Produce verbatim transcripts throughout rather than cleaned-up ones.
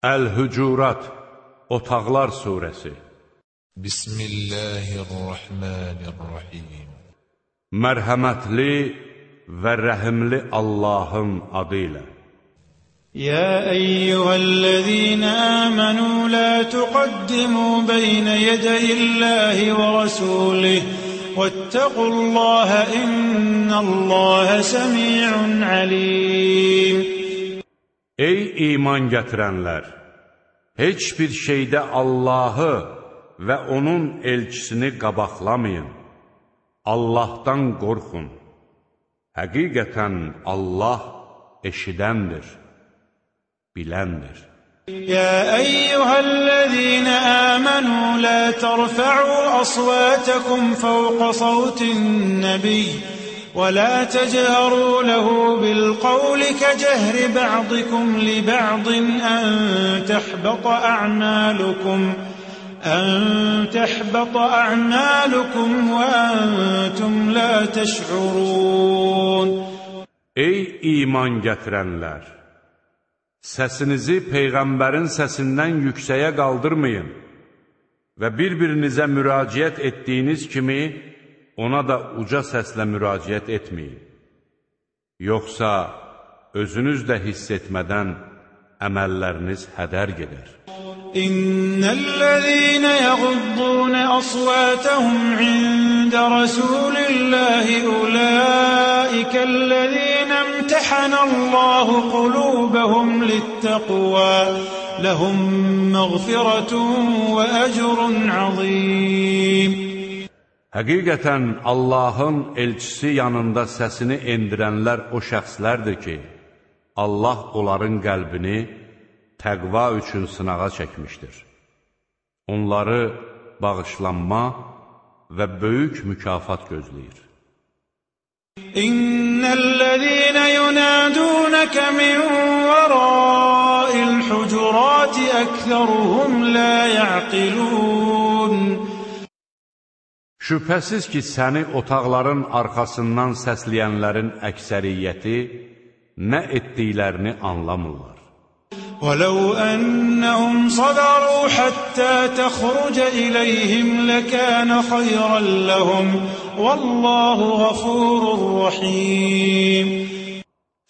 Əl-Hücurat, Otaqlar Suresi. Bismillahirrahmanirrahim. Mərhəmətli və rəhimli Allahın adı ilə. يا أيها الذين آمنوا لا تقدموا بين يدي الله ورسوله واتقوا الله إن الله سميع عليم. Ey iman gətirənlər! Heç bir şeydə Allahı və onun elçisini qabaqlamayın. Allahdan qorxun. Həqiqətən Allah eşidəndir, biləndir. يا أيها الذين آمنوا لا ترفعوا أصواتكم فوق صوت النبي ولا تجهروا له بالقول كجهر بعضكم لبعض أن تحبط أعمالكم أن تحبط أعمالكم وأنتم لا تشعرون. Ey iman gətirənlər! Səsinizi Peyğəmbərin səsindən yüksəyə qaldırmayın və bir-birinizə müraciət etdiyiniz kimi ona da uca səslə müraciət etməyin. Yoxsa özünüz də hiss etmədən əməlləriniz hədər gedər. İnnellezîne yaghuddûne asvâtehum inde rasûlillâhi ulâikellezîne imtehanallâhu kulûbehum littaqvâ lehum mağfiretun ve ecrun azîm. Həqiqətən Allahın elçisi yanında səsini endirənlər o şəxslərdir ki, Allah onların qəlbini təqva üçün sınağa çəkmişdir. Onları bağışlanma və böyük mükafat gözləyir. İnnellezîne yunâdûneke min verâil hucurâti ekseruhum lâ ya'qilûn. Şübhəsiz ki, səni otaqların arxasından səsləyənlərin əksəriyyəti nə etdiklərini anlamırlar. وَلَوْ أَنَّهُمْ صَبَرُوا حَتَّى تَخْرُجَ إِلَيْهِمْ لَكَانَ خَيْرًا لَهُمْ وَاللَّهُ غَفُورٌ رَحِيمٌ.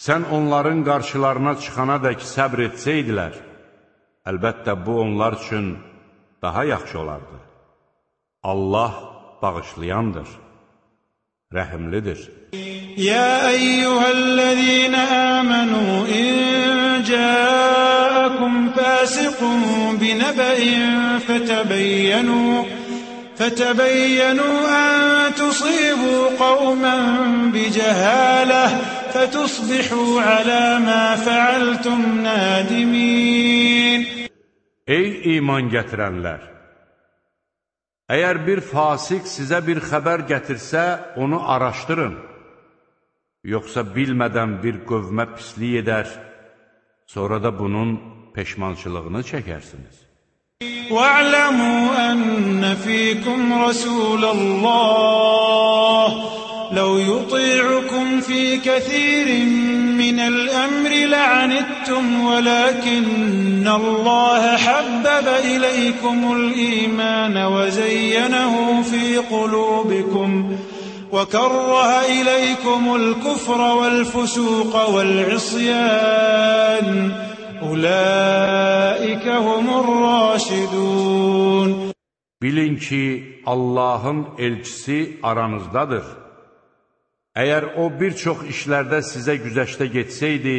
Sən onların qarşılarına çıxanadək səbr etsəydilər, əlbəttə bu onlar üçün daha yaxşı olardı. Allah bağışlayandır, rəhimlidir. يا أيها الذين آمنوا إن جاءكم فاسق بنبأ فتبينوا فتبينوا أن تصيبوا قوما بجهالة فتصبحوا على ما فعلتم نادمين. Ey iman gətirənlər! Əgər bir fasik sizə bir xəbər gətirsə, onu araşdırın. Yoxsa bilmədən bir qövmə pislik edər, sonra da bunun peşmançılığını çəkərsiniz. وَاعْلَمُوا أَنَّ فِيكُمْ رَسُولَ اللَّهِ لَوْ يُطِيعُكُمْ فِي كَثِيرٍ مِّنَ الْأَمْرِ لَعَنِتُّمْ وَلَكِنَّ اللَّهَ حَبَّبَ إِلَيْكُمُ الْإِيمَانَ وَزَيَّنَهُ فِي قُلُوبِكُمْ وَكَرَّهَ إِلَيْكُمُ الْكُفْرَ وَالْفُسُوقَ وَالْعِصْيَانَ أُولَٰئِكَ هُمُ الرَّاشِدُونَ. Bilin ki, Allahın elçisi aranızdadır. Əgər o bir çox işlərdə sizə güzəştə getsəydi,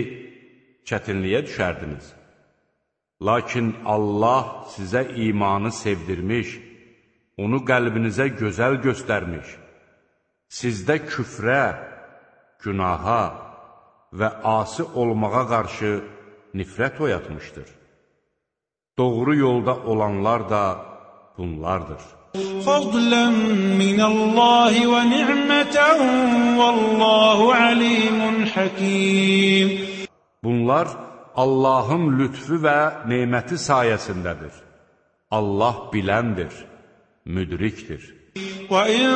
çətinliyə düşərdiniz. Lakin Allah sizə imanı sevdirmiş, onu qəlbinizə gözəl göstərmiş, sizdə küfrə, günaha və asi olmağa qarşı nifrət oyatmışdır. Doğru yolda olanlar da bunlardır. فَضْلًا مِّنَ اللَّهِ وَنِعْمَةً وَاللَّهُ عَلِيمٌ حَكِيمٌ. Bunlar Allahın lütfü və neməti sayəsindədir. Allah biləndir, müdrikdir. وَإِن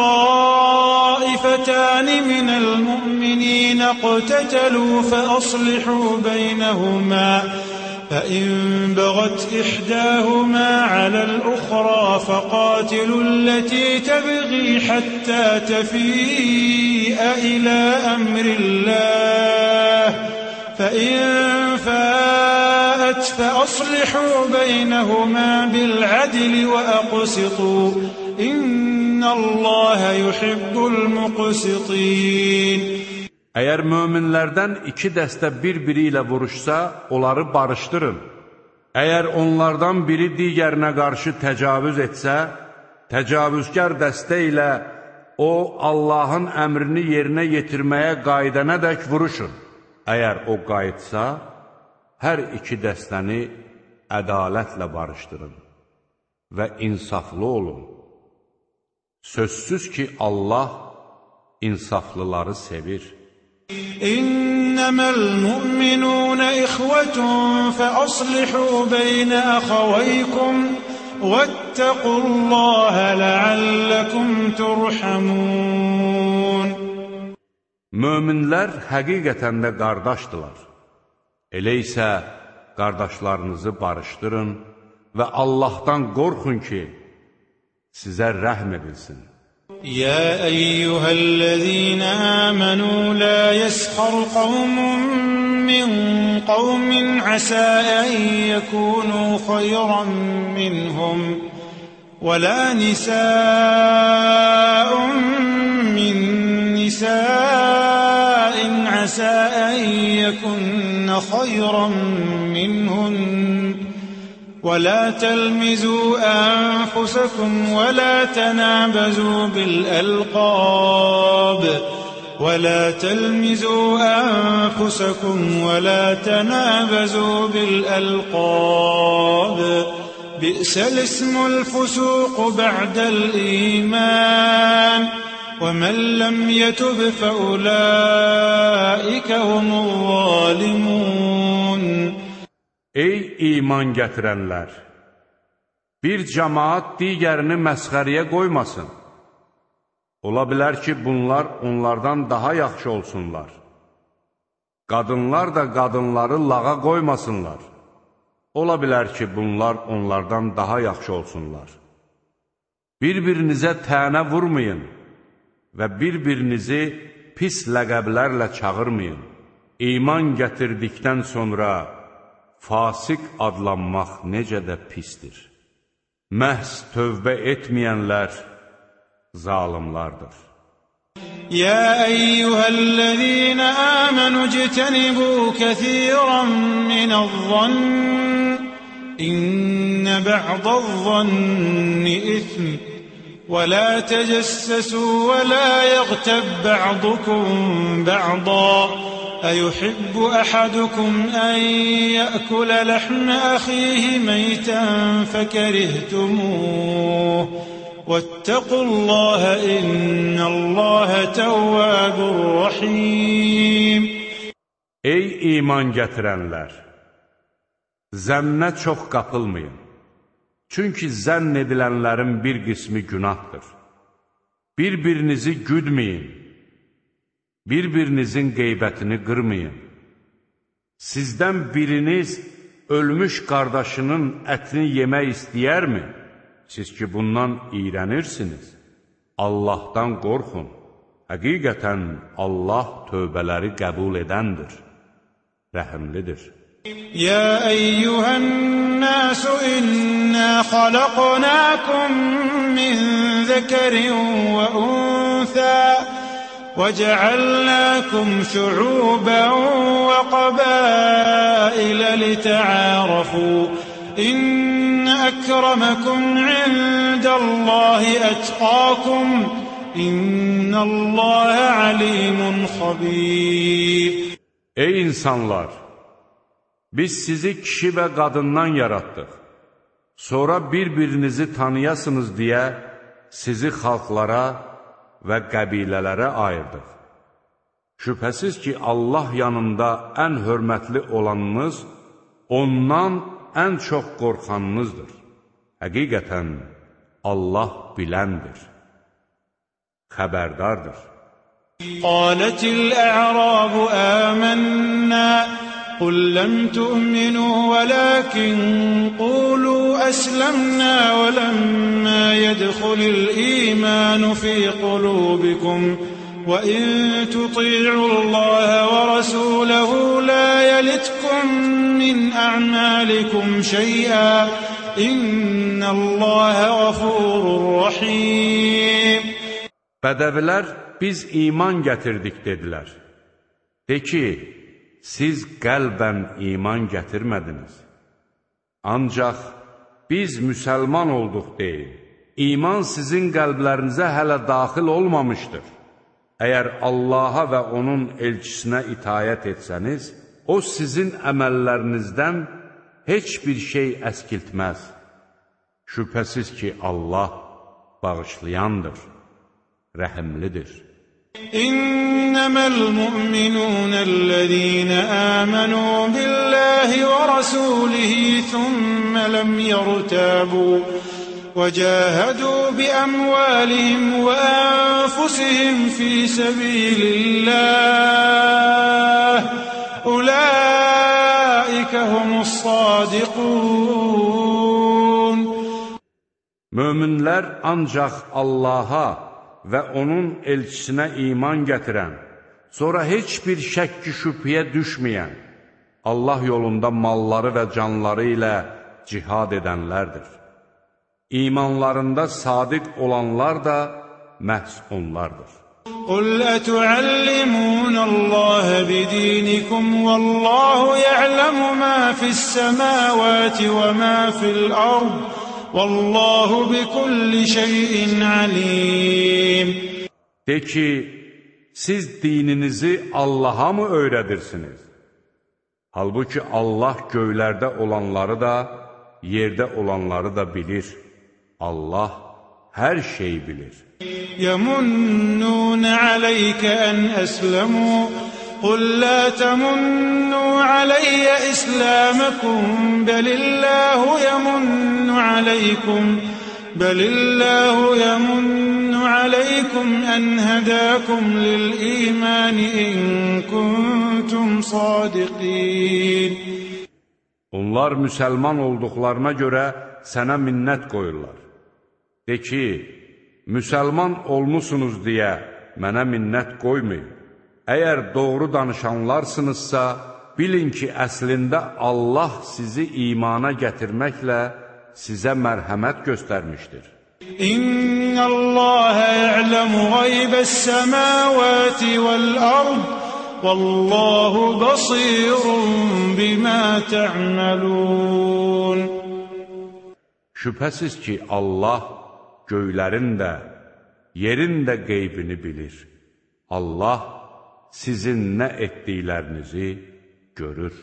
طَائِفَتَانِ مِنَ الْمُؤْمِنِينَ اقْتَتَلُوا فَأَصْلِحُوا بَيْنَهُمَا فإن بغت إحداهما على الأخرى فقاتلوا التي تبغي حتى تفيء إلى أمر الله فإن فاءت فأصلحوا بينهما بالعدل وأقسطوا إن الله يحب المقسطين. Əgər möminlərdən iki dəstə bir-biri ilə vuruşsa, onları barışdırın. Əgər onlardan biri digərinə qarşı təcavüz etsə, təcavüzkar dəstə ilə o, Allahın əmrini yerinə yetirməyə qayıdanadək vuruşun. Əgər o qayıtsa, hər iki dəstəni ədalətlə barışdırın və insaflı olun. Sözsüz ki, Allah insaflıları sevir. إنما المؤمنون إخوة فأصلحوا بين أخويكم واتقوا الله لعلكم ترحمون. Möminlər həqiqətən də qardaşdılar. Elə isə qardaşlarınızı barışdırın və Allahdan qorxun ki, sizə rəhm edilsin. يا أيها الذين آمنوا لا يسخر قوم من قوم عسى أن يكونوا خيرا منهم ولا نساء من نساء عسى أن يكن خيرا منهن ولا تلمزوا أنفسكم ولا تنابزوا بالألقاب ولا تلمزوا أنفسكم ولا تنابزوا بالألقاب بئس الاسم الفسوق بعد الإيمان ومن لم يتب فأولئك هم الظالمون. Ey iman gətirənlər! Bir cəmaat digərini məsxəriyə qoymasın. Ola bilər ki, bunlar onlardan daha yaxşı olsunlar. Qadınlar da qadınları lağa qoymasınlar. Ola bilər ki, bunlar onlardan daha yaxşı olsunlar. Bir-birinizə tənə vurmayın və bir-birinizi pis ləqəblərlə çağırmayın. İman gətirdikdən sonra fasik adlanmaq necə də pisdir. Məhz tövbə etməyənlər zalimlardır. يا أيها الذين آمنوا اجتنبوا كثيرا من الظن إن بعض الظن إثم ولا تجسسوا ولا يغتب بعضكم بعضا أيحب أحدكم أن يأكل لحم أخيه ميتا فكرهتموه واتقوا الله إن الله تواب رحيم. Ey iman gətirənlər! Zənnə çox qapılmayın. Çünki zənn edilənlərin bir qismi günahdır. Bir-birinizi güdməyin. Bir-birinizin qeybətini qırmayın. Sizdən biriniz ölmüş qardaşının ətini yemək istəyərmi? Siz ki, bundan iyrənirsiniz. Allahdan qorxun. Həqiqətən Allah tövbələri qəbul edəndir, rəhimlidir. يا أيها الناس إنا خلقناكم من ذكر وأنثى وجعلناكم شعوبا وقبائل لتعارفوا إن أكرمكم عند الله أتقاكم إن الله عليم خبير. Ey insanlar! Biz sizi kişi və qadından yaratdıq. Sonra bir-birinizi tanıyasınız deyə sizi xalqlara və qəbilələrə ayırdıq. Şübhəsiz ki, Allah yanında ən hörmətli olanınız, ondan ən çox qorxanınızdır. Həqiqətən Allah biləndir, xəbərdardır. Qalatil-ə'rabu əmənnə قل لم تؤمنوا ولكن قولوا أسلمنا ولما يدخل الإيمان في قلوبكم وإن تطيعوا الله ورسوله لا يلتكم من أعمالكم شيئا إن الله غفور رحيم. Bədəvilər biz iman gətirdik dedilər. De ki, siz qəlbən iman gətirmədiniz. Ancaq biz müsəlman olduq deyin. İman sizin qəlblərinizə hələ daxil olmamışdır. Əgər Allaha və onun elçisinə itayət etsəniz, o sizin əməllərinizdən heç bir şey əskiltməz. Şübhəsiz ki, Allah bağışlayandır, rəhimlidir. İnneməl mu'minûnəl-ləzīnə âmenû billâhi və rasûlihi thumma lem yertâbû və cahadû bi'amwâlihim və anfusihim fî sebîlillâh ulâike humus-sâdiqûn. Möminlər ancaq Allaha və onun elçisinə iman gətirən, sonra heç bir şəkki şübhəyə düşməyən, Allah yolunda malları və canları ilə cihad edənlərdir. İmanlarında sadiq olanlar da məhz onlardır. قُلْ أَتُعَلِّمُونَ اللَّهَ بِدِينِكُمْ وَاللَّهُ يَعْلَمُ مَا فِي السَّمَاوَاتِ وَمَا فِي الْأَرْضِ وَاللَّهُ بِكُلِّ شَيْءٍ عَلِيمٌ. De ki, siz dininizi Allah'a mı öyrədirsiniz? Halbuki Allah göylərdə olanları da, yerdə olanları da bilir. Allah hər şeyi bilir. يَمُنُّونَ عَلَيْكَ أَنْ أَسْلَمُوا قُلْ لَا تَمُنُّوا عَلَيَّ إِسْلَامَكُمْ بَلِ اللَّهُ يَمُنُّ عَلَيْكُمْ بَلِ اللَّهُ يَمُنُّ عَلَيْكُمْ أَنْ هَدَاكُمْ لِلْإِيمَانِ إِن كُنتُمْ صَادِقِينَ. Onlar müsəlman olduqlarına görə sənə minnət qoyurlar. De ki, müsəlman olmusunuz deyə mənə minnət qoymayın. Əgər doğru danışanlarsınızsa, bilin ki, əslində Allah sizi imana gətirməklə sizə mərhəmət göstərmişdir. İnnəlləhə ya'ləmu gaybəs-səmavati vəl-ərd vəlləhu basirun bimə tə'məlun. Şübhəsiz ki, Allah göylərin də, yerin də qeybini bilir. Allah sizin nə etdiklərinizi görür.